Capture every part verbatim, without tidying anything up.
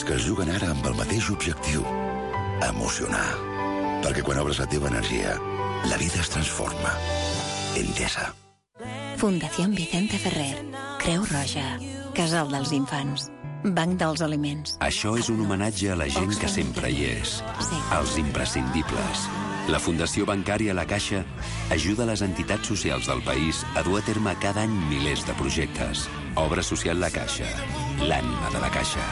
que es juguen ara amb el mateix objectiu, emocionar. Perquè quan obres la teva energia, la vida es transforma. Endesa. Fundación Vicente Ferrer, Creu Roja, Casal dels Infants, Banc dels Aliments. Això és un homenatge a la gent que sempre hi és, Sí. als imprescindibles. La Fundació Bancària La Caixa ajuda les entitats socials del país a dur a terme cada any milers de projectes. Obra social La Caixa, l'ànima de la Caixa.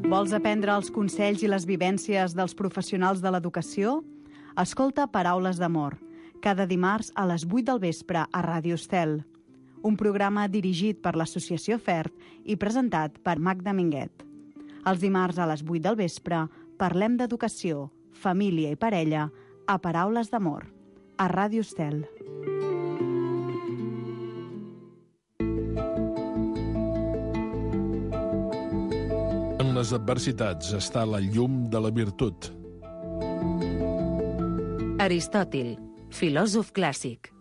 Vols aprendre els consells i les vivències dels professionals de l'educació? Escolta Paraules d'Amor, cada dimarts a les vuit del vespre a Ràdio Estel. Un programa dirigit per l'Associació FERT i presentat per Magda Minguet. Els dimarts a les vuit del vespre parlem d'educació, família i parella a Paraules d'Amor, a Ràdio Estel. En les adversitats està la llum de la virtut. Aristòtil, filòsof clàssic.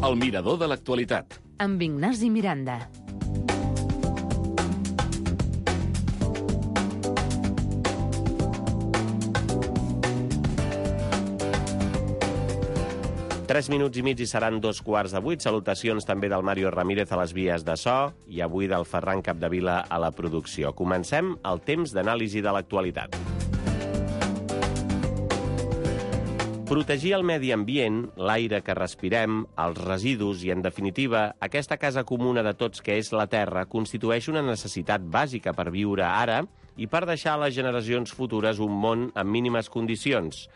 El mirador de l'actualitat. Amb Ignasi Miranda. Tres minuts i mig i seran dos quarts de vuit. Salutacions també del Mario Ramírez a les vies de so i avui del Ferran Capdevila a la producció. Comencem el temps d'anàlisi de l'actualitat. Protegir el medi ambient, l'aire que respirem, els residus i, en definitiva, aquesta casa comuna de tots que és la Terra constitueix una necessitat bàsica per viure ara i per deixar a les generacions futures un món amb mínimes condicions.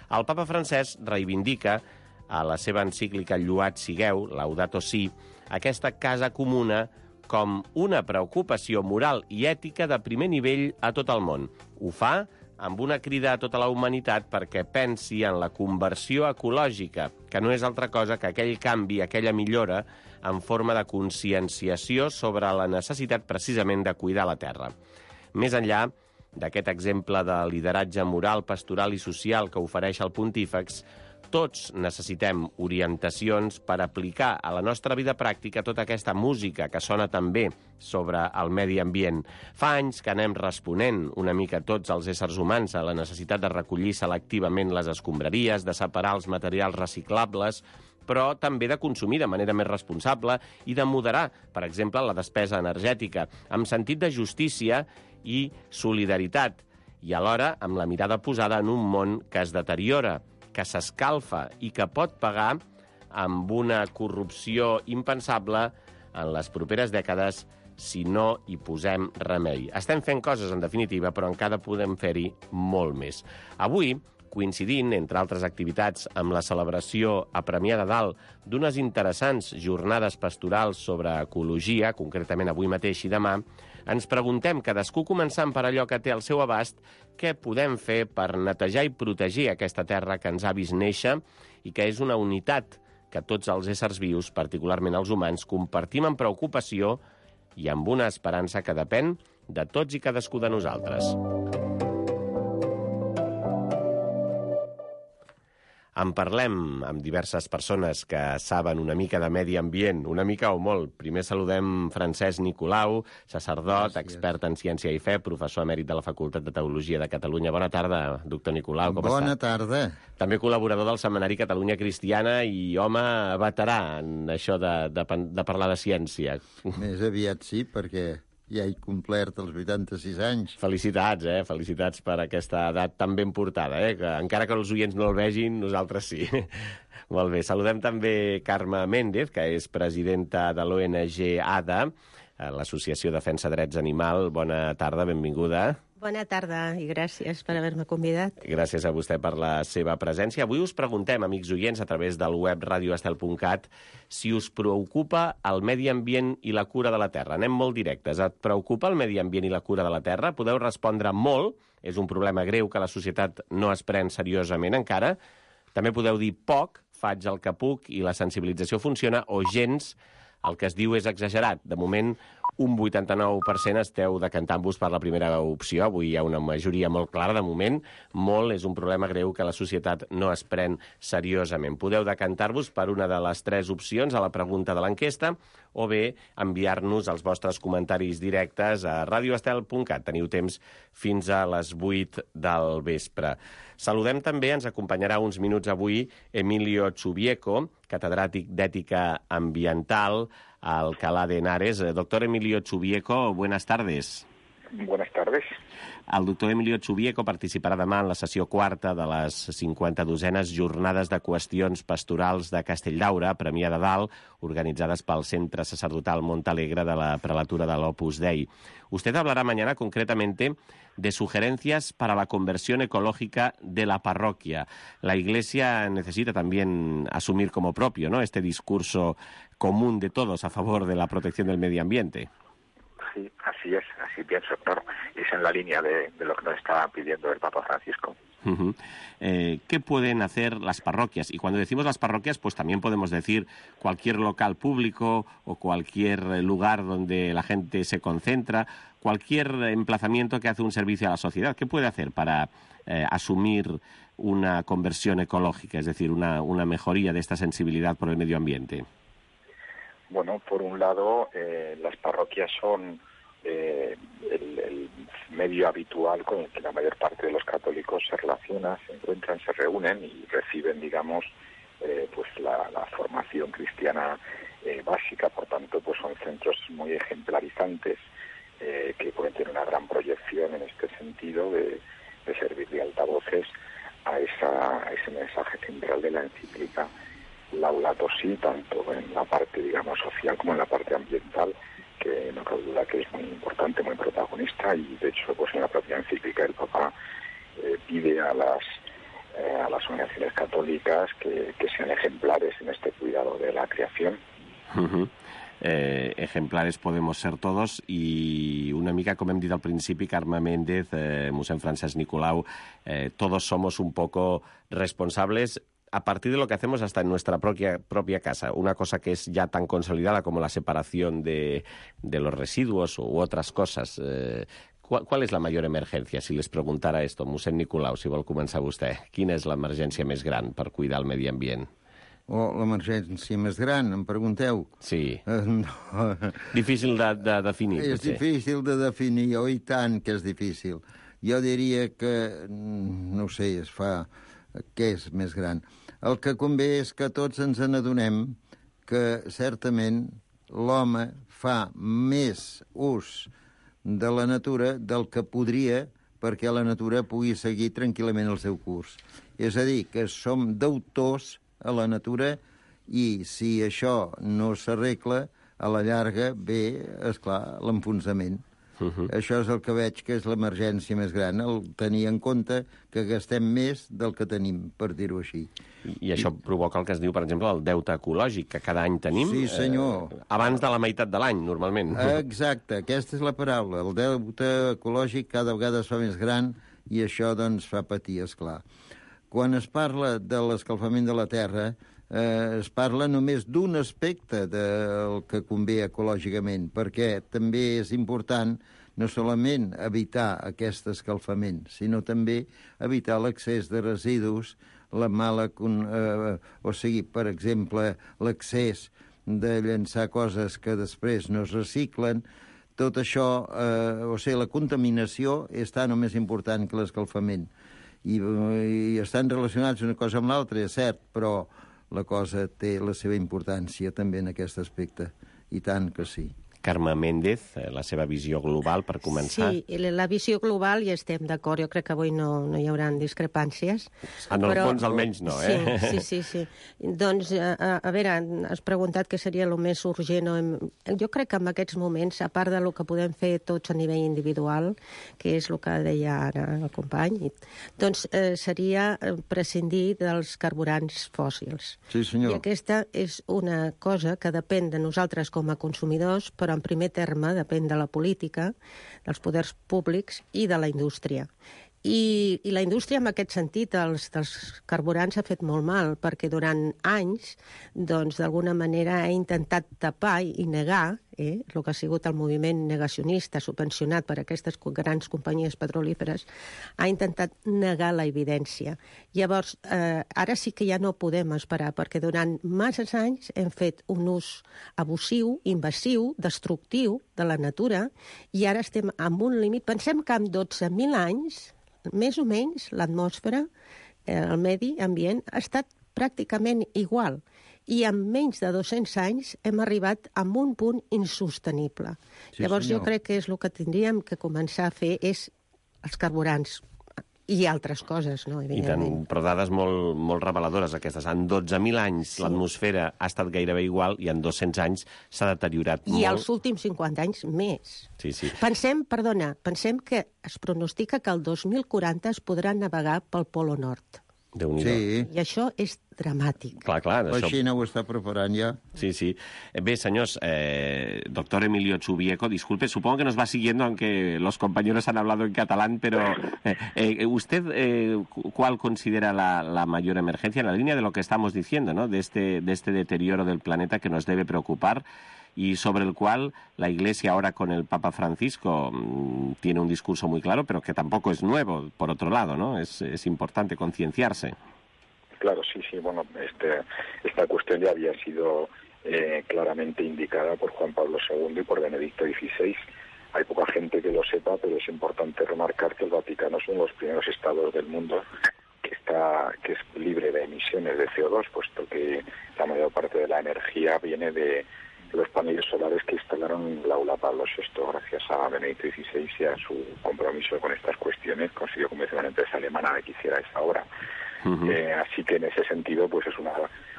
El papa francès reivindica a la seva encíclica Lloat sigueu, Laudato Si, aquesta casa comuna com una preocupació moral i ètica de primer nivell a tot el món. Ho fa amb una crida a tota la humanitat perquè pensi en la conversió ecològica, que no és altra cosa que aquell canvi, aquella millora en forma de conscienciació sobre la necessitat precisament de cuidar la terra. Més enllà d'aquest exemple de lideratge moral, pastoral i social que ofereix el pontífex, tots necessitem orientacions per aplicar a la nostra vida pràctica tota aquesta música que sona també sobre el medi ambient. Fa anys que anem responent una mica tots els éssers humans a la necessitat de recollir selectivament les escombraries, de separar els materials reciclables, però també de consumir de manera més responsable i de moderar, per exemple, la despesa energètica, amb sentit de justícia i solidaritat, i alhora amb la mirada posada en un món que es deteriora, que s'escalfa i que pot pagar amb una corrupció impensable en les properes dècades si no hi posem remei. Estem fent coses, en definitiva, però encara podem fer-hi molt més. Avui, coincidint, entre altres activitats, amb la celebració a Premià de Dalt d'unes interessants jornades pastorals sobre ecologia, concretament avui mateix i demà, ens preguntem, cadascú començant per allò que té al seu abast, què podem fer per netejar i protegir aquesta terra que ens ha vist néixer i que és una unitat que tots els éssers vius, particularment els humans, compartim amb preocupació i amb una esperança que depèn de tots i cadascú de nosaltres. En parlem amb diverses persones que saben una mica de medi ambient, una mica o molt. Primer saludem Francesc Nicolau, sacerdot, Gràcies. Expert en ciència i fe, professor emèrit de la Facultat de Teologia de Catalunya. Bona tarda, doctor Nicolau, com Bona està? Bona tarda. També col·laborador del Setmanari Catalunya Cristiana i home veterà en això de, de, de parlar de ciència. Més aviat sí, perquè ja he complert els vuitanta-sis anys. Felicitats, eh? Felicitats per aquesta edat tan ben portada, eh? Que encara que els oients no el vegin, nosaltres sí. Molt bé. Saludem també Carme Méndez, que és presidenta de l'O N G A D A, l'Associació Defensa Drets Animal. Bona tarda, benvinguda. Bona tarda i gràcies per haver-me convidat. Gràcies a vostè per la seva presència. Avui us preguntem, amics oients, a través del web radio estel punt cat, si us preocupa el medi ambient i la cura de la terra. Anem molt directes. Et preocupa el medi ambient i la cura de la terra? Podeu respondre molt. És un problema greu que la societat no es pren seriosament encara. També podeu dir poc, faig el que puc i la sensibilització funciona, o gens, el que es diu és exagerat. De moment Un vuitanta-nou per cent esteu decantant-vos per la primera opció. Avui hi ha una majoria molt clara, de moment. Molt és un problema greu que la societat no es pren seriosament. Podeu decantar-vos per una de les tres opcions a la pregunta de l'enquesta o bé enviar-nos els vostres comentaris directes a radioestel punt cat. Teniu temps fins a les vuit del vespre. Saludem també, ens acompanyarà uns minuts avui, Emilio Chubieco, catedràtic d'Ètica Ambiental a Alcalá de Henares. Doctor Emilio Chubieco, buenas tardes. Buenas tardes. El doctor Emilio Chubieco participarà demà en la sessió quarta de les cinquanta-dosenes Jornades de Qüestions Pastorals de Castelldaura, Premià de Dalt, organitzades pel Centre Sacerdotal Montalegre de la Prelatura del Opus Dei. Usted hablará mañana concretamente de sugerencias para la conversión ecológica de la parroquia. La Iglesia necesita también asumir como propio, ¿no?, este discurso común de todos a favor de la protección del medio ambiente. Sí, así es, así pienso, claro. Es en la línea de, de lo que nos está pidiendo el Papa Francisco. Uh-huh. Eh, ¿Qué pueden hacer las parroquias? Y cuando decimos las parroquias, pues también podemos decir cualquier local público o cualquier lugar donde la gente se concentra, cualquier emplazamiento que hace un servicio a la sociedad. ¿Qué puede hacer para eh, asumir una conversión ecológica, es decir, una, una mejoría de esta sensibilidad por el medio ambiente? Bueno, por un lado, eh, las parroquias son eh, el, el medio habitual con el que la mayor parte de los católicos se relacionan, se encuentran, se reúnen y reciben, digamos, eh, pues la, la formación cristiana eh, básica. Por tanto, pues son centros muy ejemplarizantes eh, que pueden tener una gran proyección en este sentido de, de servir de altavoces a, esa, a ese mensaje central de la encíclica Laudato Si, tanto en la parte, digamos, social como en la parte ambiental, que no cabe duda que es muy importante, muy protagonista, y de hecho, pues en la propia encíclica el Papa eh, pide a las eh, a las organizaciones católicas que, que sean ejemplares en este cuidado de la creación. Uh-huh. Eh, ejemplares podemos ser todos, i una mica, com hem dit al principi, Carme Méndez, eh, mossèn Francesc Nicolau, eh, todos somos un poco responsables a partir de lo que hacemos hasta en nuestra propia, propia casa. Una cosa que es ya tan consolidada como la separación de, de los residuos u otras cosas. Eh, ¿cuál, ¿Cuál és la major emergència? Si les preguntara esto, mossèn Nicolau, si vol començar vostè. Quina és l'emergència més gran per cuidar el medi ambient? O l'emergència més gran, em pregunteu? Sí. Uh, no. Difícil de, de definir, És potser. difícil de definir, oh, i tant que és difícil. Jo diria que, no ho sé, es fa... Què és més gran? El que convé és que tots ens n'adonem que, certament, l'home fa més ús de la natura del que podria perquè la natura pugui seguir tranquil·lament el seu curs. És a dir, que som deutors a la natura i si això no s'arregla, a la llarga ve, esclar, l'enfonsament. Uh-huh. Això és el que veig que és l'emergència més gran, el tenir en compte que gastem més del que tenim, per dir-ho així. I, I això provoca el que es diu, per exemple, el deute ecològic, que cada any tenim. Sí, senyor. Eh, abans de la meitat de l'any, normalment. Exacte, aquesta és la paraula. El deute ecològic cada vegada es fa més gran i això, doncs, fa patir, esclar. Quan es parla de l'escalfament de la Terra, eh, es parla només d'un aspecte del que convé ecològicament, perquè també és important no solament evitar aquest escalfament, sinó també evitar l'accés de residus, la mala... Eh, o sigui, per exemple, l'accés de llançar coses que després no es reciclen. Tot això, eh, o sigui, la contaminació és tan o més important que l'escalfament. I, I estan relacionats una cosa amb l'altra, és cert, però la cosa té la seva importància també en aquest aspecte, i tant que sí. Carme Méndez, la seva visió global, per començar. Sí, la visió global hi estem d'acord. Jo crec que avui no, no hi haurà discrepàncies. En el però... fons, almenys, no, eh? Sí, sí, sí. sí. Doncs, a, a veure, has preguntat què seria el més urgent. Jo crec que en aquests moments, a part del que podem fer tots a nivell individual, que és el que deia ara el company, doncs eh, seria prescindir dels carburants fòssils. Sí, senyor. I aquesta és una cosa que depèn de nosaltres com a consumidors, però en primer terme depèn de la política, dels poders públics i de la indústria. I, i la indústria, en aquest sentit, els, dels carburants ha fet molt mal, perquè durant anys, doncs, d'alguna manera ha intentat tapar i negar eh, el que ha sigut el moviment negacionista subvencionat per aquestes grans companyies petrolíferes, ha intentat negar la evidència. Llavors, eh, ara sí que ja no podem esperar, perquè durant masses anys hem fet un ús abusiu, invasiu, destructiu de la natura, i ara estem amb un límit. Pensem que en dotze mil anys, més o menys, l'atmosfera, eh, el medi ambient, ha estat pràcticament igual, i en menys de dos-cents anys hem arribat a un punt insostenible. Sí, Llavors senyor. jo crec que és el que tindríem que començar a fer és els carburants i altres coses, no? I tant, però dades molt, molt reveladores aquestes. En dotze mil anys sí. l'atmosfera ha estat gairebé igual i en dos-cents anys s'ha deteriorat I molt. I els últims cinquanta anys més. Sí, sí. Pensem, perdona, pensem que es pronostica que el dos mil quaranta es podrà navegar pel Polo Nord. Déu-n'hi-do. Sí. I això és dramàtic. Clar, clar. La Això... Xina ho està preparant ja. Sí, sí. Bé, señores, eh, doctor Emilio Chubieco, disculpe, supongo que nos va siguiendo, aunque los compañeros han hablado en catalán, pero eh, eh, ¿usted eh, cuál considera la, la mayor emergencia en la línea de lo que estamos diciendo, ¿no? de, este, de este deterioro del planeta que nos debe preocupar y sobre el cual la Iglesia ahora con el Papa Francisco mmm, tiene un discurso muy claro, pero que tampoco es nuevo, por otro lado, ¿no? Es, es importante concienciarse. Claro, sí, sí, bueno, este, esta cuestión ya había sido eh, claramente indicada por Juan Pablo segundo y por Benedicto dieciséis. Hay poca gente que lo sepa, pero es importante remarcar que el Vaticano es uno de los primeros estados del mundo que está que es libre de emisiones de C O dos, puesto que la mayor parte de la energía viene de los paneles solares que instalaron en el aula Pablo sexto, gracias a Benedicto dieciséis y a su compromiso con estas cuestiones, consiguió convencer a una empresa alemana de que hiciera esa obra. Uh-huh. Eh, así que en ese sentido, pues es una,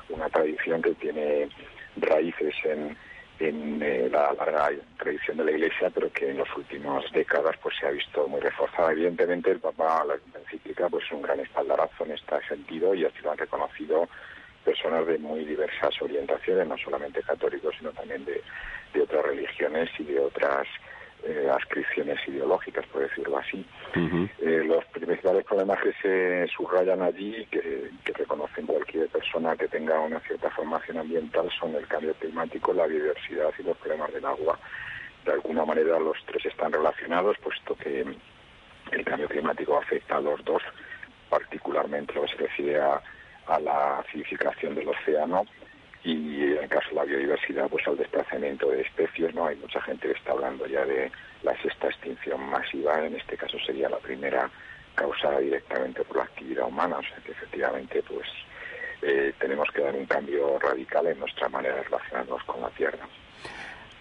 una tradición que tiene raíces en, en eh, la larga tradición de la Iglesia, pero que en las últimas décadas pues se ha visto muy reforzada. Evidentemente, el Papa, la encíclica, pues es un gran espaldarazo en este sentido, y así lo han reconocido personas de muy diversas orientaciones, no solamente católicos, sino también de, de otras religiones y de otras eh, adscripciones ideológicas, por decirlo así. Uh-huh. Eh, los principales problemas que se subrayan allí, que, que reconocen cualquier persona que tenga una cierta formación ambiental, son el cambio climático, la biodiversidad y los problemas del agua. De alguna manera los tres están relacionados, puesto que el cambio climático afecta a los dos, particularmente lo que se refiere a a la acidificación del océano, y en el caso de la biodiversidad, pues al desplazamiento de especies, ¿no? Hay mucha gente que está hablando ya de la sexta extinción masiva, en este caso sería la primera causada directamente por la actividad humana, o sea que efectivamente pues eh, tenemos que dar un cambio radical en nuestra manera de relacionarnos con la Tierra.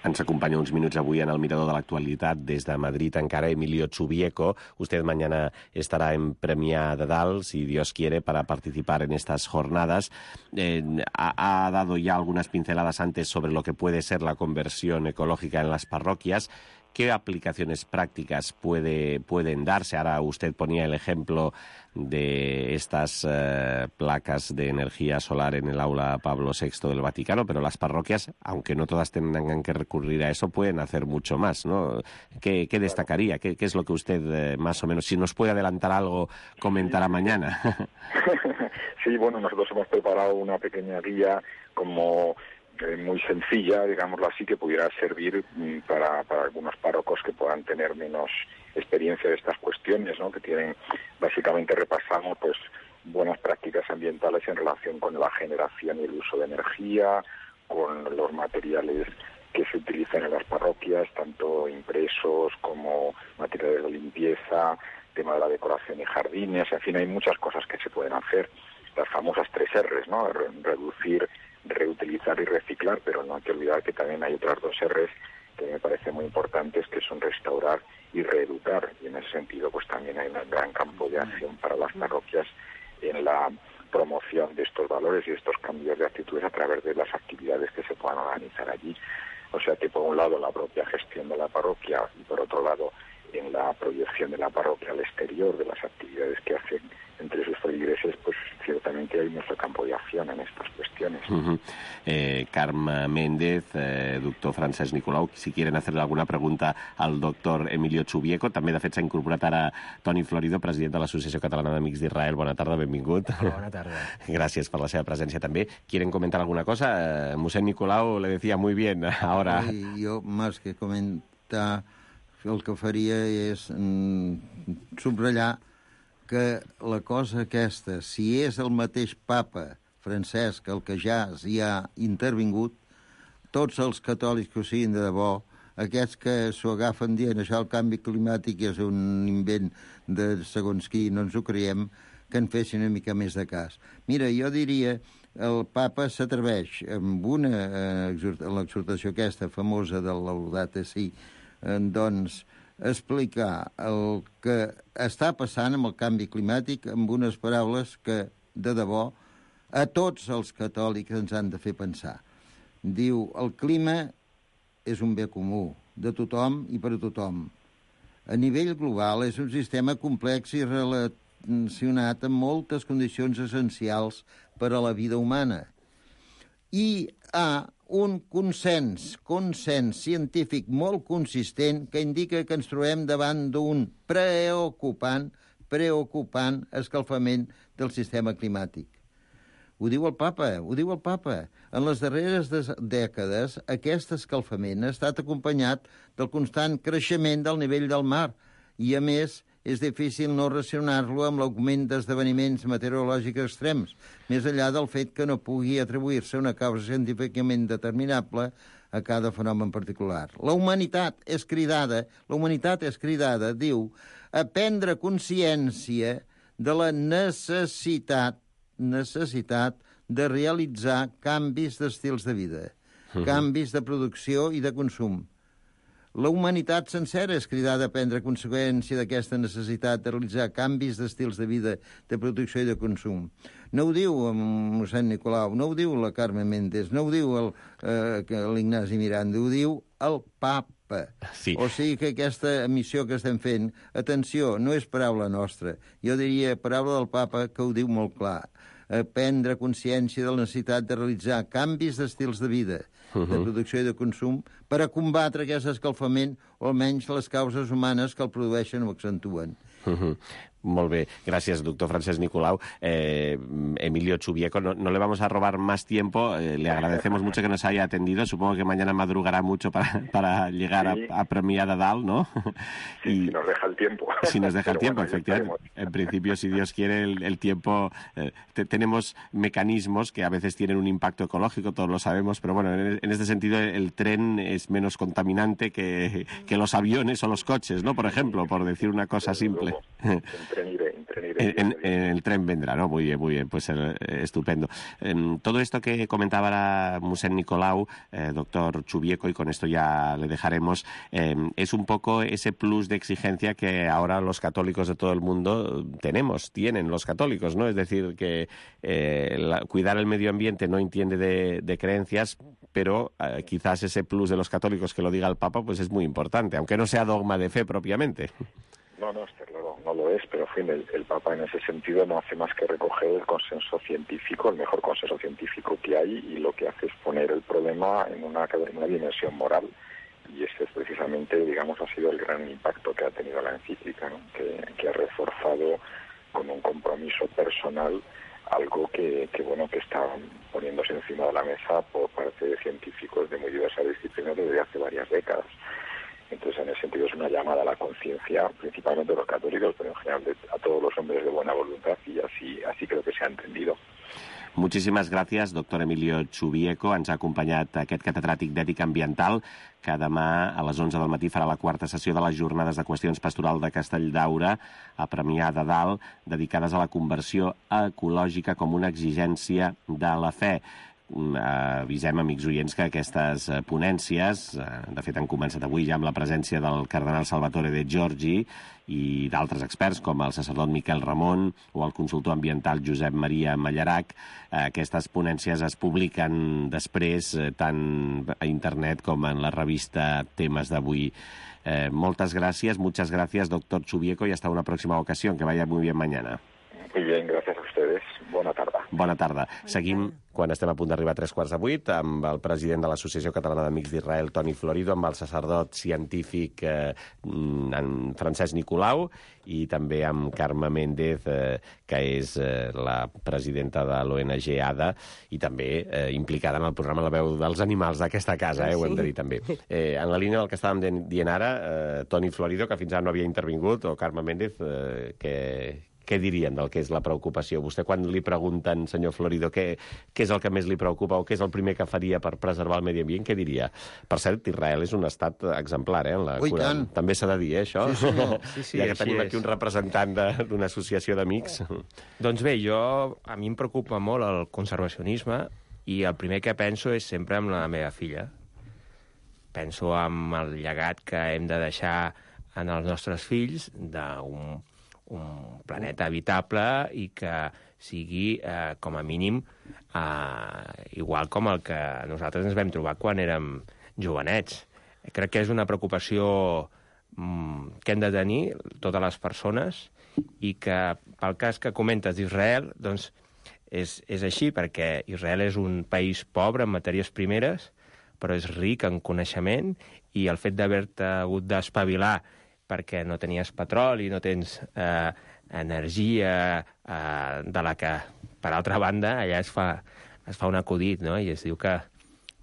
Ens acompaña uns minuts avui en el Mirador de l'actualitat des de Madrid encara Emilio Chubieco. Usted mañana estará en Premià de Dalt, si Dios quiere, para participar en estas jornadas. Eh, ha, ha dado ya algunas pinceladas antes sobre lo que puede ser la conversión ecológica en las parroquias. ¿Qué aplicaciones prácticas puede, pueden darse? Ahora usted ponía el ejemplo de estas eh, placas de energía solar en el aula Pablo sexto del Vaticano, pero las parroquias, aunque no todas tengan que recurrir a eso, pueden hacer mucho más, ¿no? ¿Qué, qué destacaría? ¿Qué, ¿Qué es lo que usted eh, más o menos, si nos puede adelantar algo, comentará mañana? Sí, bueno, nosotros hemos preparado una pequeña guía como muy sencilla, digámoslo así, que pudiera servir para, para algunos párrocos que puedan tener menos experiencia de estas cuestiones, ¿no? Que tienen, básicamente repasamos pues buenas prácticas ambientales en relación con la generación y el uso de energía, con los materiales que se utilizan en las parroquias, tanto impresos como materiales de limpieza, tema de la decoración y jardines, en fin, hay muchas cosas que se pueden hacer, las famosas tres erres, ¿no? Reducir, reutilizar y reciclar, pero no hay que olvidar que también hay otras dos erres que me parecen muy importantes, que son restaurar y reeducar, y en ese sentido pues también hay un gran campo de acción para las parroquias en la promoción de estos valores y de estos cambios de actitudes a través de las actividades que se puedan organizar allí. O sea que por un lado la propia gestión de la parroquia y por otro lado en la proyección de la parroquia al exterior, de las actividades que hacen entre sus feligreses, pues ciertamente hay nuestro campo de acción en estas cuestiones. Uh-huh. eh, Carme Méndez, eh, doctor Francesc Nicolau, si quieren hacerle alguna pregunta al doctor Emilio Chubieco. També, de fet, s'ha incorporat ara Toni Florido, president de l'Associació Catalana d'Amics d'Israel. Bona tarda, benvingut. Bona tarda. Gràcies per la seva presència també. ¿Quieren comentar alguna cosa? Eh, Mossèn Nicolau le decía muy bien ahora. Sí, jo, més que comentar, el que faria és mm, subratllar que la cosa aquesta, si és el mateix papa Francesc el que ja s'hi ha intervingut, tots els catòlics que ho siguin de debò, aquests que s'ho agafen dient això el canvi climàtic és un invent de segons qui, no ens ho creiem, que en fessin una mica més de cas. Mira, jo diria, el papa s'atreveix amb una, eh, l'exhortació aquesta famosa del Laudate Si, eh, doncs, explicar el que està passant amb el canvi climàtic amb unes paraules que, de debò, a tots els catòlics ens han de fer pensar. Diu, el clima és un bé comú, de tothom i per a tothom. A nivell global és un sistema complex i relacionat amb moltes condicions essencials per a la vida humana. I hi ha un consens, consens científic molt consistent que indica que ens trobem davant d'un preocupant, preocupant escalfament del sistema climàtic. Ho diu el papa, ho diu el papa. En les darreres dècades, aquest escalfament ha estat acompanyat del constant creixement del nivell del mar i, a més, és difícil no relacionar-lo amb l'augment d'esdeveniments meteorològics extrems, més enllà del fet que no pugui atribuir-se una causa científicament determinable a cada fenomen particular. La humanitat és cridada, la humanitat és cridada, diu, a prendre consciència de la necessitat, necessitat de realitzar canvis d'estils de vida, uh-huh. canvis de producció i de consum. La humanitat sencera és cridada a prendre conseqüència d'aquesta necessitat de realitzar canvis d'estils de vida, de producció i de consum. No ho diu el mossèn Nicolau, no ho diu la Carme Méndez, no ho diu eh, l'Ignasi Miranda, ho diu el papa. Sí. O sigui que aquesta missió que estem fent, atenció, no és paraula nostra. Jo diria paraula del papa que ho diu molt clar. A prendre consciència de la necessitat de realitzar canvis d'estils de vida, uh-huh. de producció i de consum, per a combatre aquest escalfament, o almenys les causes humanes que el produeixen o accentuen. Uh-huh. Molt bé, gracias, doctor Francesc Nicolau. Eh, Emilio Chubieco, no, no le vamos a robar más tiempo, eh, le agradecemos mucho que nos haya atendido, supongo que mañana madrugará mucho para, para llegar sí. a, a Premià de Dalt, ¿no? Sí, y, si nos deja el tiempo. Si nos deja el tiempo, bueno, efectivamente. En principio, si Dios quiere, el, el tiempo... Eh, te, tenemos mecanismos que a veces tienen un impacto ecológico, todos lo sabemos, pero bueno, en, en este sentido el tren es menos contaminante que, que los aviones o los coches, ¿no? Por ejemplo, por decir una cosa simple. El tren iré, el tren iré. En, en, en el tren vendrá, ¿no? Muy bien, muy bien, pues eh, estupendo. Eh, todo esto que comentaba la Mossèn Nicolau, eh, doctor Chubieco, y con esto ya le dejaremos, eh, es un poco ese plus de exigencia que ahora los católicos de todo el mundo tenemos, tienen los católicos, ¿no? Es decir, que eh, la, cuidar el medio ambiente no entiende de, de creencias, pero eh, quizás ese plus de los católicos que lo diga el Papa, pues es muy importante, aunque no sea dogma de fe propiamente. No, no, está claro, no lo es, pero en fin, el, el Papa en ese sentido no hace más que recoger el consenso científico, el mejor consenso científico que hay, y lo que hace es poner el problema en una, en una dimensión moral. Y ese es precisamente, digamos, ha sido el gran impacto que ha tenido la encíclica, ¿no? que, que ha reforzado con un compromiso personal algo que, que, bueno, que está poniéndose encima de la mesa por parte de científicos de muy diversas disciplinas desde hace varias décadas. Entonces, en ese sentido, es una llamada a la conciencia, principalmente de los católicos, pero en general de, a todos los hombres de buena voluntad, y así, así creo que se ha entendido. Moltíssimes gràcies, doctor Emilio Chubieco. Ens ha acompanyat aquest catedràtic d'ètica ambiental, que demà a les onze del matí farà la quarta sessió de les jornades de qüestions pastoral de Castelldaura a Premià de Dalt, dedicades a la conversió ecològica com una exigència de la fe. Avisem, amics oients, que aquestes ponències, de fet han començat avui ja amb la presència del cardenal Salvatore De Giorgi i d'altres experts com el sacerdot Miquel Ramon o el consultor ambiental Josep Maria Mallarac. Aquestes ponències es publiquen després tant a internet com en la revista Temes d'Avui Eh, moltes gràcies, muchas gracias, doctor Chubieco, y hasta una próxima ocasión. Que vaya muy bien mañana. Muy bien, gracias a ustedes. Bona tarda. Bona tarda. Seguim, quan estem a punt d'arribar a tres quarts de vuit, amb el president de l'Associació Catalana d'Amics d'Israel, Toni Florido, amb el sacerdot científic eh, en Francesc Nicolau, i també amb Carme Méndez, eh, que és eh, la presidenta de l'O N G A D A, i també eh, implicada en el programa La veu dels animals d'aquesta casa, eh, ho hem de dir també. Eh, en la línia del que estàvem dient ara, eh, Toni Florido, que fins ara no havia intervingut, o Carme Méndez, eh, que... Què dirien del que és la preocupació? Vostè, quan li pregunten, senyor Florido, què, què és el que més li preocupa o què és el primer que faria per preservar el medi ambient, què diria? Per cert, Israel és un estat exemplar, eh? En la Ui, cura... tant. També s'ha de dir, eh, això? Sí, senyor. Sí, sí, ja que així tenim és. aquí un representant d'una associació d'amics. Doncs bé, jo, a mi em preocupa molt el conservacionisme i el primer que penso és sempre en la meva filla. Penso en el llegat que hem de deixar en els nostres fills d'un un planeta habitable i que sigui, eh, com a mínim, eh, igual com el que nosaltres ens vam trobar quan érem jovenets. Crec que és una preocupació mm, que hem de tenir totes les persones i que, pel cas que comentes d'Israel, doncs és, és així, perquè Israel és un país pobre en matèries primeres, però és ric en coneixement, i el fet d'haver-te hagut d'espavilar perquè no tenies petroli, no tens eh, energia eh, de la que, per altra banda, allà es fa, es fa un acudit, no? I es diu que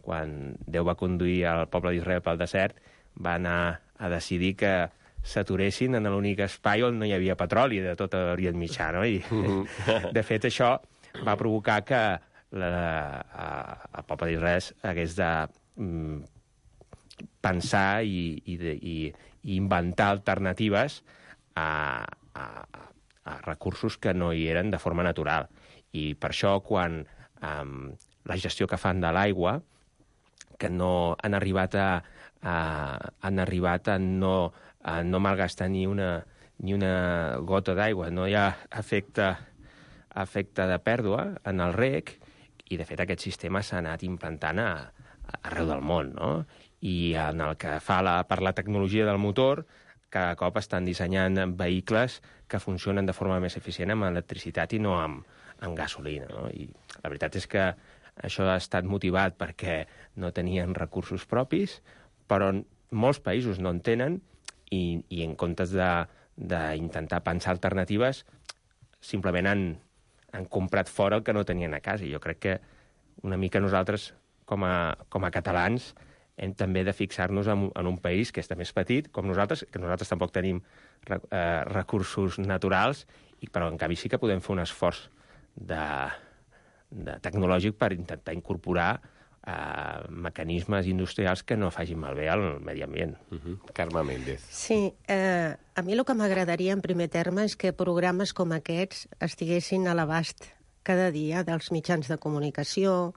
quan Déu va conduir el poble d'Israel pel desert, va anar a decidir que s'aturessin en l'únic espai on no hi havia petroli de tot l'Orient Mitjà, no? I, de fet, això va provocar que la, a, el poble d'Israel hagués de mm, pensar i, i, de, i, i inventar alternatives a, a, a recursos que no hi eren de forma natural. I per això, quan um, la gestió que fan de l'aigua, que no han arribat a, a, han arribat a no, a no malgastar ni una, ni una gota d'aigua, no hi ha efecte, efecte de pèrdua en el reg, i de fet aquest sistema s'ha anat implantant a, a arreu del món, no? I en el que fa la, per la tecnologia del motor, cada cop estan dissenyant vehicles que funcionen de forma més eficient amb electricitat i no amb, amb gasolina, no? I la veritat és que això ha estat motivat perquè no tenien recursos propis, però molts països no en tenen, i, i en comptes d'intentar pensar alternatives, simplement han, han comprat fora el que no tenien a casa. I jo crec que una mica nosaltres, com a, com a catalans, hem també de fixar-nos en, en un país que està més petit, com nosaltres, que nosaltres tampoc tenim eh, recursos naturals, i, però en canvi sí que podem fer un esforç de, de tecnològic per intentar incorporar eh, mecanismes industrials que no facin malbé al medi ambient. Uh-huh. Carme Méndez. Sí, eh, a mi el que m'agradaria en primer terme és que programes com aquests estiguessin a l'abast cada dia dels mitjans de comunicació,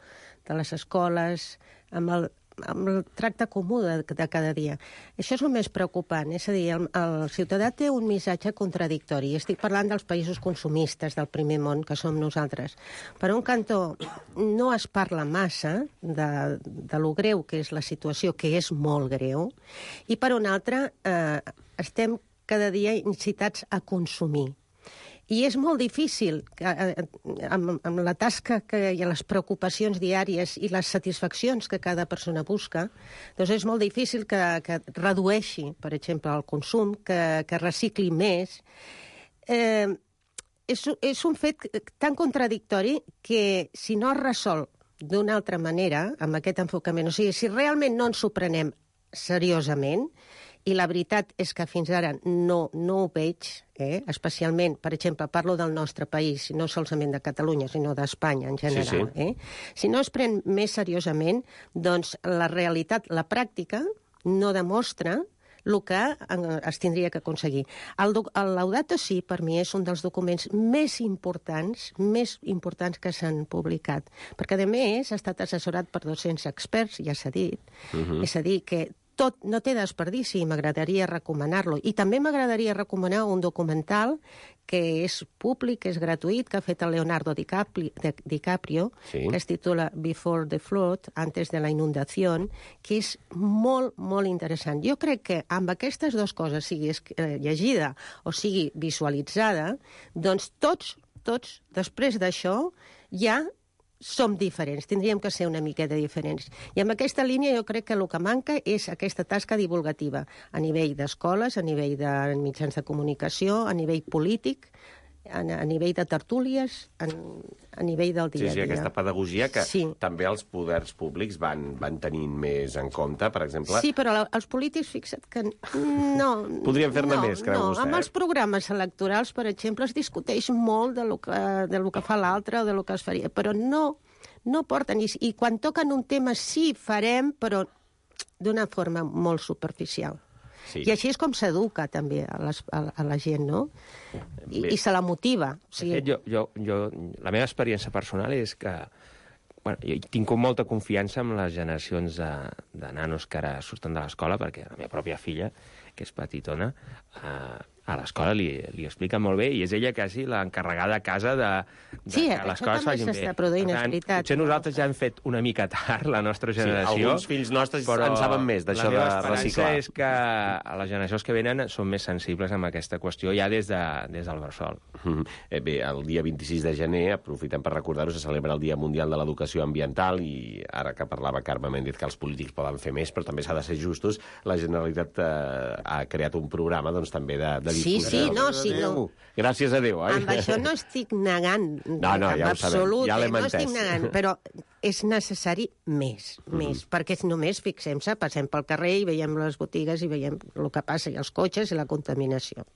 de les escoles, amb el amb el tracte comú de, de cada dia. Això és el més preocupant, és a dir, el, el ciutadà té un missatge contradictori. Estic parlant dels països consumistes del primer món, que som nosaltres. Per un cantó, no es parla massa de, de lo greu que és la situació, que és molt greu, i per un altre, eh, estem cada dia incitats a consumir. I és molt difícil, amb, amb la tasca que, i les preocupacions diàries i les satisfaccions que cada persona busca, doncs és molt difícil que, que redueixi, per exemple, el consum, que, que recicli més. Eh, és, és un fet tan contradictori que si no es resol d'una altra manera, amb aquest enfocament, o sigui, si realment no ens ho prenem seriosament, i la veritat és que fins ara no, no ho veig, eh? Especialment, per exemple, parlo del nostre país, no solament de Catalunya, sinó d'Espanya en general. Sí, sí. Eh? Si no es pren més seriosament, doncs la realitat, la pràctica, no demostra el que es tindria que aconseguir. El, el Laudato Si, per mi, és un dels documents més importants, més importants que s'han publicat, perquè, a més, ha estat assessorat per dos-cents experts, ja s'ha dit, uh-huh. És a dir, que tot no té desperdici, m'agradaria recomanar-lo. I també m'agradaria recomanar un documental que és públic, que és gratuït, que ha fet el Leonardo DiCaprio, DiCaprio sí. que es titula Before the Flood, antes de la inundació, que és molt, molt interessant. Jo crec que amb aquestes dues coses, sigui llegida o sigui visualitzada, doncs tots, tots, després d'això, ja som diferents, tindríem que ser una miqueta diferents. I amb aquesta línia jo crec que el que manca és aquesta tasca divulgativa a nivell d'escoles, a nivell de mitjans de comunicació, a nivell polític, a, a nivell de tertúlies, a, a nivell del dia a dia. Sí, sí, aquesta pedagogia que sí. també els poders públics van, van tenint més en compte, per exemple... Sí, però la, els polítics, fixa't que no... Podríem fer-ne no, més, creu no. vostè? Amb els programes electorals, per exemple, es discuteix molt de lo que, de lo que fa l'altre o de lo que es faria, però no, no porten... I, I quan toquen un tema sí farem, però d'una forma molt superficial. Sí. I així és com s'educa també a, les, a, a la gent, no? I, i se la motiva. O sigui... De fet, jo, jo, jo, la meva experiència personal és que bueno, jo tinc molta confiança en les generacions de, de nanos que ara surten de l'escola, perquè la meva pròpia filla, que és petitona, eh, a l'escola li, li explica molt bé, i és ella quasi l'encarregada a casa de, de sí, que les coses vagin bé. Sí, això també s'està produint, és veritat. Potser nosaltres ja hem fet una mica tard, la nostra generació. Sí, alguns fills nostres en saben més d'això de reciclar. La meva esperança és que a les generacions que venen són més sensibles amb aquesta qüestió ja des, de, des del bressol. Mm. Eh, bé, el dia vint-i-sis de gener, aprofitem per recordar-ho, se celebra el Dia Mundial de l'Educació Ambiental, i ara que parlava Carme Méndez que els polítics poden fer més, però també s'ha de ser justos, la Generalitat eh, ha creat un programa doncs, també de, de difusió. Sí, sí, no, sí, no. Gràcies a Déu, oi? Amb això no estic negant, no, no, ja absolut, ja eh, no estic negant, però és necessari més, mm. més, perquè només, fixem-se, passem pel carrer i veiem les botigues i veiem el que passa, i els cotxes i la contaminació.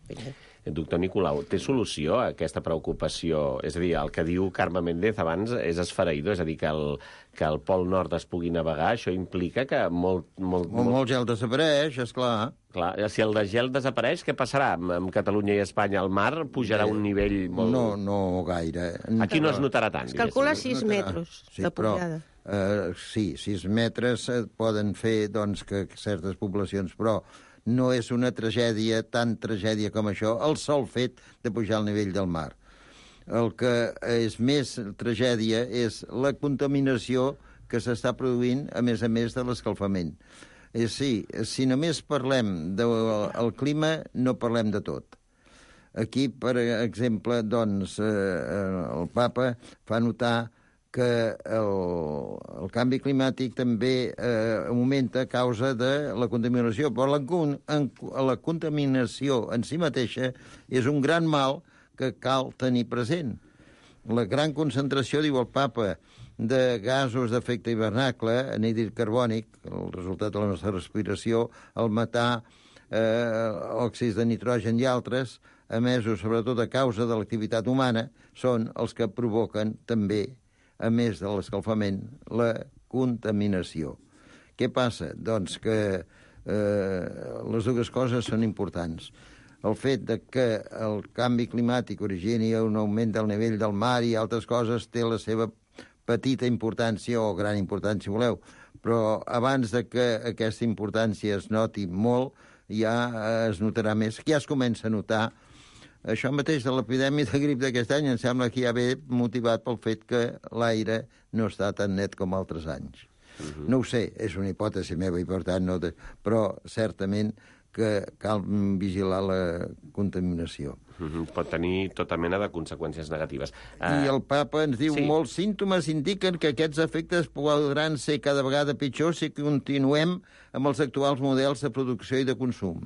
Doctor Nicolau, té solució a aquesta preocupació? És a dir, el que diu Carme Méndez abans és esfereïdor, és a dir, que el, que el Pol Nord es pugui navegar, això implica que molt... Molt, molt... molt gel desapareix, esclar. Clar, si el de gel desapareix, què passarà? Amb Catalunya i Espanya el mar pujarà a un nivell molt... No, no gaire. Aquí no es notarà tant. Es calcula sis metres sí, de pujada. Però, uh, sí, sis metres poden fer doncs, que certes poblacions, però no és una tragèdia, tan tragèdia com això, el sol fet de pujar al nivell del mar. El que és més tragèdia és la contaminació que s'està produint, a més a més de l'escalfament. Eh, sí, si només parlem del el clima, no parlem de tot. Aquí, per exemple, doncs, eh, el papa fa notar que el, el canvi climàtic també eh, augmenta a causa de la contaminació, però la, en, la contaminació en si mateixa és un gran mal que cal tenir present. La gran concentració, diu el papa, de gasos d'efecte hivernacle, anhídrid carbònic, el resultat de la nostra respiració, el metà, eh, òxids de nitrogen i altres, emesos sobretot a causa de l'activitat humana, són els que provoquen també, a més de l'escalfament, la contaminació. Què passa? Doncs que eh, les dues coses són importants. El fet de que el canvi climàtic origini un augment del nivell del mar i altres coses té la seva petita importància o gran importància, si voleu, però abans de que aquesta importància es noti molt, ja es notarà més, ja es comença a notar. Això mateix de l'epidèmia de grip d'aquest any em sembla que ja ve motivat pel fet que l'aire no està tan net com altres anys. Uh-huh. No ho sé, és una hipòtesi meva i per tant no... De... Però certament que cal vigilar la contaminació. Uh-huh. Pot tenir tota mena de conseqüències negatives. Uh... I el papa ens diu, sí. Molts símptomes indiquen que aquests efectes podran ser cada vegada pitjors si continuem amb els actuals models de producció i de consum.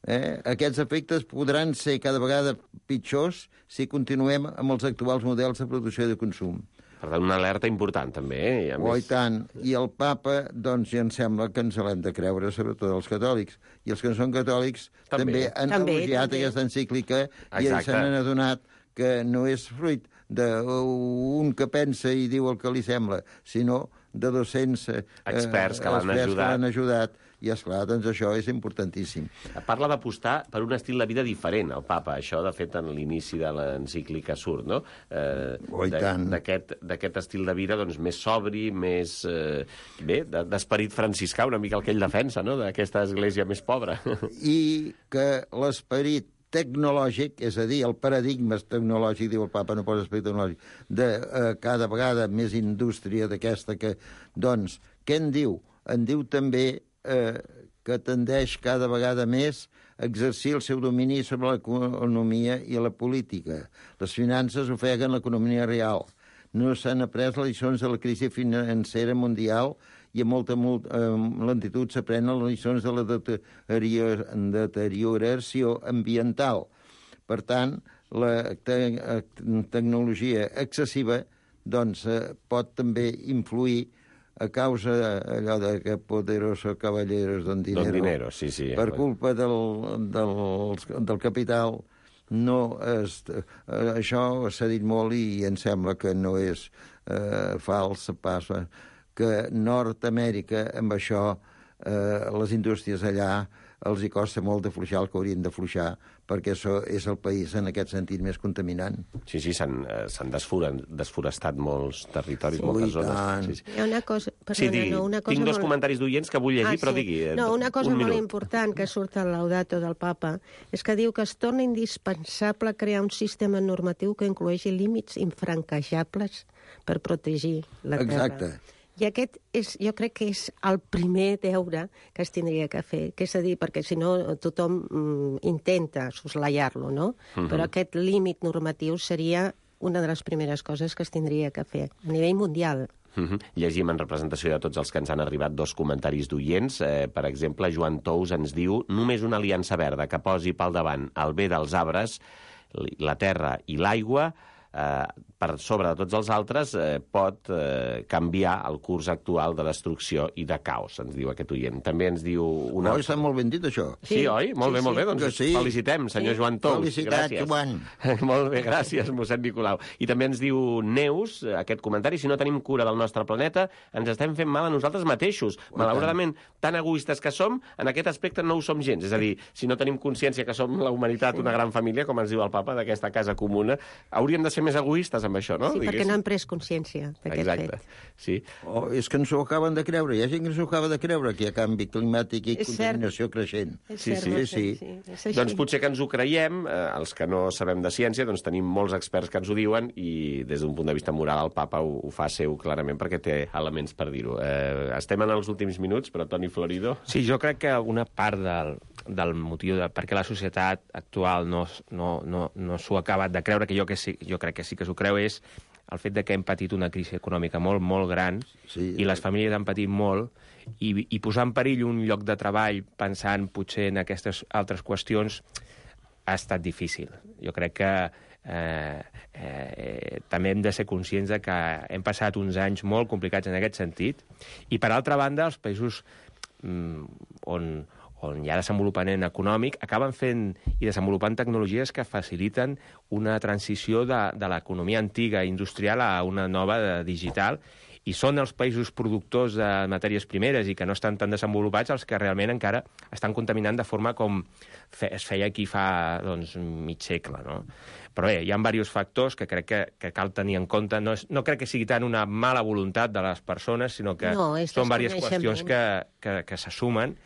Eh? Aquests efectes podran ser cada vegada pitjors si continuem amb els actuals models de producció i de consum. Per tant, una alerta important, també. Eh? I oh, més... i tant. I el papa, doncs, ja em sembla que ens l'hem de creure, sobretot els catòlics. I els que no són catòlics també, també han també, elogiat també. Aquesta encíclica. Exacte. I se n'han adonat que no és fruit d'un que pensa i diu el que li sembla, sinó de dos-cents experts que l'han ajudat. ajudat I, esclar, doncs això és importantíssim. Parla d'apostar per un estil de vida diferent, el papa. Això, de fet, en l'inici de l'encíclica surt, no? Eh, oh, i tant. D'aquest estil de vida doncs, més sobri, més... Eh, bé, d'esperit franciscà, una mica el que ell defensa, no?, d'aquesta església més pobra. I que l'esperit tecnològic, és a dir, el paradigma tecnològic, diu el papa, no posa esperit tecnològic, de eh, cada vegada més indústria d'aquesta que... Doncs, què en diu? En diu també eh, que tendeix cada vegada més a exercir el seu domini sobre l'economia i la política. Les finances ofeguen l'economia real. No s'han après les lliçons de la crisi financera mundial i a molta eh, lentitud s'aprenen les lliçons de la deterior deterioració ambiental. Per tant, la te tecnologia excessiva doncs, eh, pot també influir a causa allò de que poderoso caballeros don dinero, don dinero sí, sí, per culpa del, del, del capital, no es, eh, això s'ha dit molt i em sembla que no és eh, fals, passa, que Nord-Amèrica, amb això, eh, les indústries allà els hi costa molt d'afluixar el que haurien d'afluixar, perquè això és el país, en aquest sentit, més contaminant. Sí, sí, s'han eh, desforestat molts territoris, sí, moltes zones. Sí, sí. Hi ha una cosa... Perdona, sí, digui, no, una cosa tinc dos molt... comentaris d'oients que vull llegir, ah, però sí. digui... No, una cosa un molt minut. important que surt al Laudato del papa és que diu que es torna indispensable crear un sistema normatiu que incloeixi límits infranquejables per protegir la terra. Exacte. I aquest és, jo crec que és el primer deure que es tindria que fer, que és a dir, perquè si no tothom mm, intenta soslaiar-lo, no? Uh-huh. Però aquest límit normatiu seria una de les primeres coses que es tindria que fer a nivell mundial. Uh-huh. Llegim en representació de tots els que ens han arribat dos comentaris d'oients. Eh, per exemple, Joan Tous ens diu: només una aliança verda que posi pel davant el bé dels arbres, la terra i l'aigua, eh, per sobre de tots els altres, eh, pot eh, canviar el curs actual de destrucció i de caos, ens diu aquest oient. També ens diu... Una... Oh, està molt ben dit, això. Sí, sí oi? Molt sí, bé, molt bé. Doncs sí. Felicitem, senyor sí. Joan Tous. Felicitat, gràcies. Joan. Molt bé, gràcies, mossèn Nicolau. I també ens diu Neus, aquest comentari: si no tenim cura del nostre planeta, ens estem fent mal a nosaltres mateixos. Oh, malauradament, tan egoistes que som, en aquest aspecte no ho som gens. És a dir, si no tenim consciència que som la humanitat, una gran família, com ens diu el papa, d'aquesta casa comuna, hauríem de ser més egoistes amb això, no? Sí, perquè no hem pres consciència d'aquest fet. Exacte, sí. Oh, és que ens ho acaben de creure. Hi ha gent que ens ho acaba de creure, que hi ha canvi climàtic i és contaminació cert. creixent. És sí, cert, sí, sí. sí. sí. Doncs potser que ens ho creiem, eh, els que no sabem de ciència, doncs tenim molts experts que ens ho diuen i des d'un punt de vista moral el papa ho, ho fa seu clarament perquè té elements per dir-ho. Eh, estem en els últims minuts, però Toni Florido... Sí, jo crec que una part del, del motiu de per què la societat actual no, no, no, no s'ho ha acabat de creure, que jo, que sí, jo crec que sí que s'ho creu, és el fet de que hem patit una crisi econòmica molt, molt gran, sí, i les famílies han patit molt, i, i posar en perill un lloc de treball pensant potser en aquestes altres qüestions ha estat difícil. Jo crec que eh, eh, també hem de ser conscients de que hem passat uns anys molt complicats en aquest sentit, i per altra banda, els països mm, on... on hi ha desenvolupament econòmic, acaben fent i desenvolupant tecnologies que faciliten una transició de, de l'economia antiga industrial a una nova de digital, i són els països productors de matèries primeres i que no estan tan desenvolupats els que realment encara estan contaminant de forma com fe, es feia aquí fa doncs, mig segle, no? Però bé, hi ha diversos factors que crec que, que cal tenir en compte. No, és, no crec que sigui tant una mala voluntat de les persones, sinó que no, són diverses qüestions que, que, que se sumen,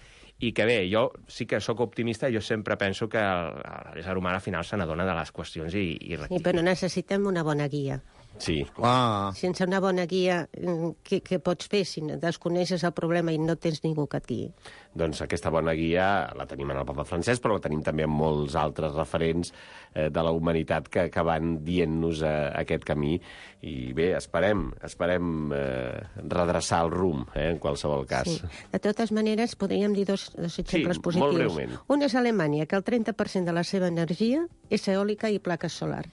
i que bé, jo sí que sóc optimista, jo sempre penso que l'ésser humà al final se n'adona de les qüestions i, i sí, però necessitem una bona guia. Sí. Ah. Sense una bona guia, què, què pots fer si desconeixes el problema i no tens ningú que et guiï? Doncs aquesta bona guia la tenim en el papa Francesc, però la tenim també en molts altres referents eh, de la humanitat que, que van dient-nos eh, aquest camí. I bé, esperem, esperem eh, redreçar el rumb, eh, en qualsevol cas. Sí. De totes maneres, podríem dir dos, dos exemples sí, positius. Molt breument. Un és Alemanya, que el trenta per cent de la seva energia és eòlica i plaques solar.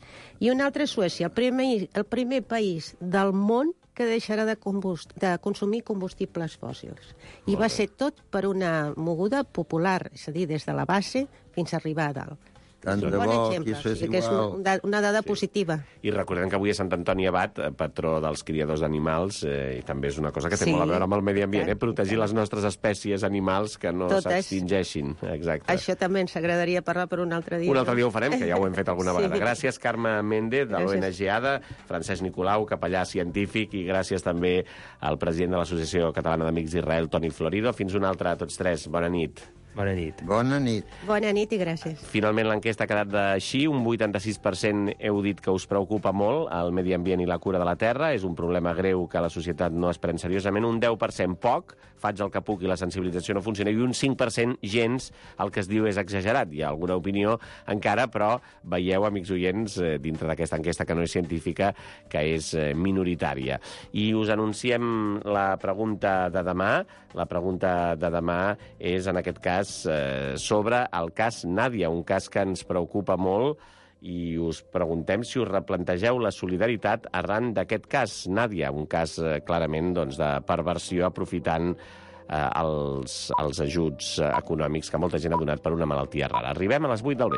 I un altre és Suècia, el primer, el primer país del món que deixarà de, combust, de consumir combustibles fòssils. I va ser tot per una moguda popular, és a dir, des de la base fins a arribar a dalt. Tant de bon bo exemple, que es fes sí, que és igual. una, una dada Sí. positiva. I recordem que avui és Sant Antoni Abat, eh, patró dels criadors d'animals, eh, i també és una cosa que té Sí, molt a veure amb el medi ambient, i eh? tant, protegir i tant. les nostres espècies animals que no Totes. s'extingeixin. Exacte. Això també ens agradaria parlar per un altre dia. Un altre dia ho farem, que ja ho hem fet alguna Sí. vegada. Gràcies, Carme Méndez, de l'O N Gràcies. G A D A, Francesc Nicolau, capellà científic, i gràcies també al president de l'Associació Catalana d'Amics d'Israel, Toni Florido. Fins una altra a tots tres. Bona nit. Bona nit. Bona nit. Bona nit i gràcies. Finalment l'enquesta ha quedat així, un vuitanta-sis per cent heu dit que us preocupa molt el medi ambient i la cura de la terra, és un problema greu que la societat no es pren seriosament, un deu per cent poc, faig el que puc i la sensibilització no funciona, i un cinc per cent gens, el que es diu és exagerat. Hi ha alguna opinió encara, però veieu, amics oients, eh, dintre d'aquesta enquesta que no és científica, que és eh, minoritària. I us anunciem la pregunta de demà. La pregunta de demà és, en aquest cas, eh, sobre el cas Nàdia, un cas que ens preocupa molt, i us preguntem si us replantegeu la solidaritat arran d'aquest cas, Nàdia, un cas eh, clarament doncs, de perversió aprofitant eh, els, els ajuts econòmics que molta gent ha donat per una malaltia rara. Arribem a les vuit del vespre.